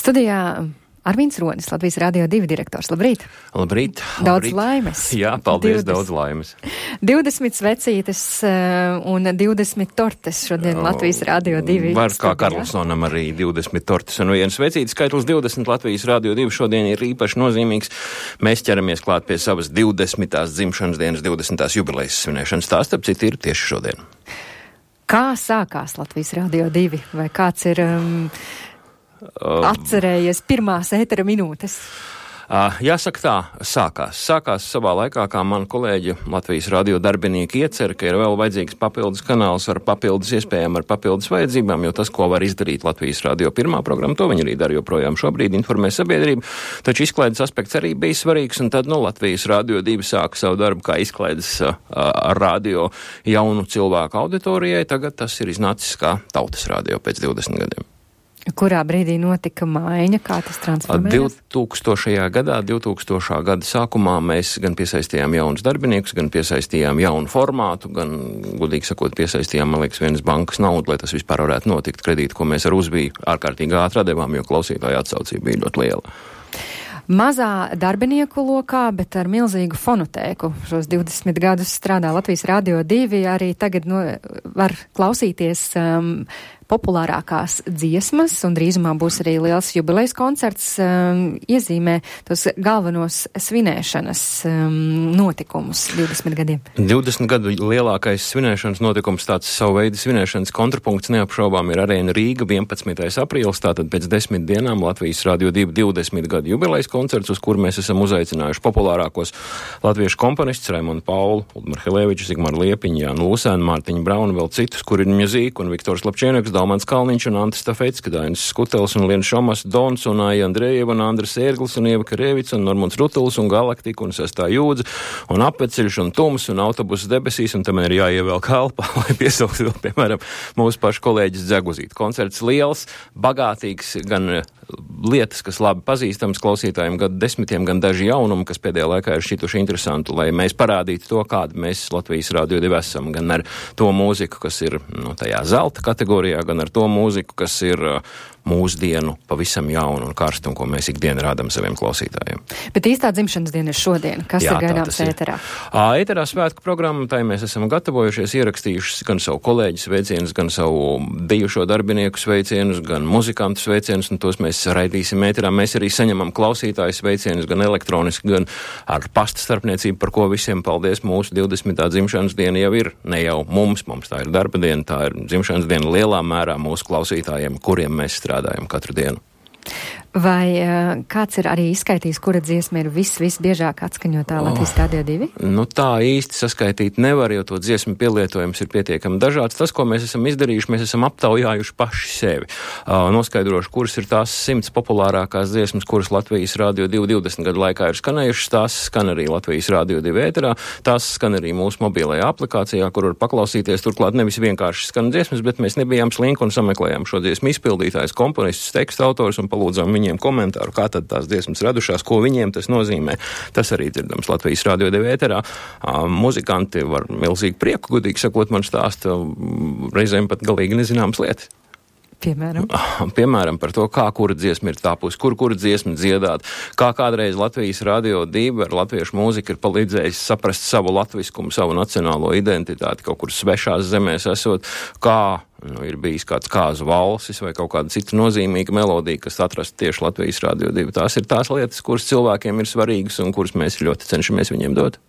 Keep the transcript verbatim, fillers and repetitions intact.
Studijā Arvīns Ronis, Latvijas Radio divi direktors. Labrīt! Labrīt! Daudz labrīt. laimes! Jā, paldies, divdesmit daudz laimes! divdesmit svecītes un divdesmit tortes šodien Latvijas Radio divi. Var kā Karlsonam arī divdesmit tortes un viens svecītes. Skaitlis divdesmit Latvijas Radio divi šodien ir īpaši nozīmīgs. Mēs ķeramies klāt pie savas divdesmitās dzimšanas dienas, divdesmitās jubilejas svinēšanas. Tā, starp citu, ir tieši šodien. Kā sākās Latvijas Radio divi? Vai kāds ir... Um, atcerējies pirmās ētera minūtes? Uh, jāsaka tā, sākās. Sākās savā laikā, kā man kolēģi Latvijas radio darbinieki iecer, ka ir vēl vajadzīgs papildus kanāls ar papildus iespējām, ar papildus vajadzībām, jo tas, ko var izdarīt Latvijas radio pirmā programma, to viņi arī dara joprojām šobrīd, informē sabiedrību, taču izklaides aspekts arī bija svarīgs, un tad, nu, Latvijas Radio divi sāka savu darbu kā izklaides uh, radio jaunu cilvēku auditorijai, tagad tas ir iznācis kā tautas radio pēc divdesmit gadiem. Kurā brīdī notika maiņa, kā tas transformējās? divtūkstošajā gadā, divtūkstošā gada sākumā mēs gan piesaistījām jaunus darbiniekus, gan piesaistījām jaunu formātu, gan, godīgi sakot, piesaistījām, man liekas, vienas bankas naudu, lai tas vispār varētu notikt. Kredītu, ko mēs ar uzbiju ārkārtīgi ātri atdevām, jo klausītāja atsaucība bija ļoti liela. Mazā darbinieku lokā, bet ar milzīgu fonotēku. Šos divdesmit gadus strādā Latvijas Radio divi, arī tagad no, var klausīties um, populārākās dziesmas, un drīzumā būs arī liels jubilejas koncerts, um, iezīmē tos galvenos svinēšanas um, notikumus divdesmit gadiem. divdesmit gadu lielākais svinēšanas notikums, tāds savu veidu svinēšanas kontrapunkts neapšaubām ir Arēna Rīga, vienpadsmitais aprīlis, tātad pēc desmit dienām Latvijas Radio divi divdesmit gadu jubilejas koncerts, uz kuru mēs esam uzaicinājuši populārākos latviešu komponistus Raimondu Paulu, Ulmar Helēviču, Zigmaru Liepiņu, Jānu Lūsēnu, Mārtiņu Braunu, vēl citus, kur ir Music un Viktors Lapčienieks, Dalmans Kalniņš un Antis Stafecka, Dainis Skutels un Liena Šomas, Dons un Aija Andrejeva un Andris Ērglis un Ieva Karevics un Normunds Rutuls un Galaktika un Sestā jūdze un Apveceļš un Tums un Autobuss debesīs, un tam ir jāievēl kalpa, lai piesaukt vēl, piemēram, mūsu pašu kolēģis Dzeguzīt. Koncerts liels, bagātīgs, gan lietas, kas labi pazīstams klausītājiem, gan desmitiem, gan daži jaunumi, kas pēdējā laikā ir šķituši interesantu, lai mēs parādītu to, kādu mēs Latvijas Radio divi esam, gan ar to mūziku, kas ir no tajā zelta kategorijā, gan ar to mūziku, kas ir uh, mūsdienu pavisam jaunu un karstu, un ko mēs ikdienu rādam saviem klausītājiem. Bet īstā dzimšanas diena ir šodien. Kas Jā, ir gaidāms ēterā? Ēterā svētku programma, tai mēs esam gatavojušies, ierakstījuši gan savu kolēģu sveicienus, gan savu bijušo darbinieku sveicienus, gan muzikantu sveicienus, un tos mēs raidīsim ēterā. Mēs arī saņemam klausītāju sveicienus gan elektroniski, gan ar pasta starpniecību, par ko visiem paldies. Mūsu divdesmitā dzimšanas diena jau ir, ne jau mums, mums tā ir darba diena, tā ir dzimšanas diena lielā mērā mūsu klausītājiem, kuriem mēs strādājam katru dienu. Vai uh, kāds ir arī izskaitījis, kura dziesma ir vis, visbiežāk atskaņotā Latvijas Radio divi? Nu tā īsti saskaitīt nevar, jo to dziesmu pielietojums ir pietiekami dažāds. Tas, ko mēs esam izdarījuši, mēs esam aptaujājuši paši sevi. Uh, noskaidroši, kuras ir tās simts populārākās dziesmas, kuras Latvijas Radio divi divdesmit gadu laikā ir skanējušas. Tās skan arī Latvijas Radio divi ēterā, tās skan arī mūsu mobilajā aplikācijā, kur var paklausīties. Turklāt nevis vienkārši skan dziesmas, bet mēs nebijām slinki un sameklējām šo dziesmu izpildītājus, komponistus, tekstu autors un palūdzām viņiem komentāru, kā tad tās dziesmas radušās, ko viņiem tas nozīmē. Tas arī dzirdams Latvijas Radio divi ēterā. Muzikanti var milzīgi prieku, gudīgi sakot, man stāsta reizēm pat galīgi nezināmas lietas. Piemēram? Piemēram, par to, kā kura dziesma ir tapusi, kur kura dziesma dziedāt, kā kādreiz Latvijas Radio divi ar latviešu mūziku ir palīdzējis saprast savu latviskumu, savu nacionālo identitāti, kaut kur svešās zemēs esot, kā nu, ir bijis kāds kāzu valsis vai kaut kāda cita nozīmīga melodija, kas atrasta tieši Latvijas Radio divi. Tās ir tās lietas, kuras cilvēkiem ir svarīgas un kuras mēs ļoti cenšamies viņiem dot.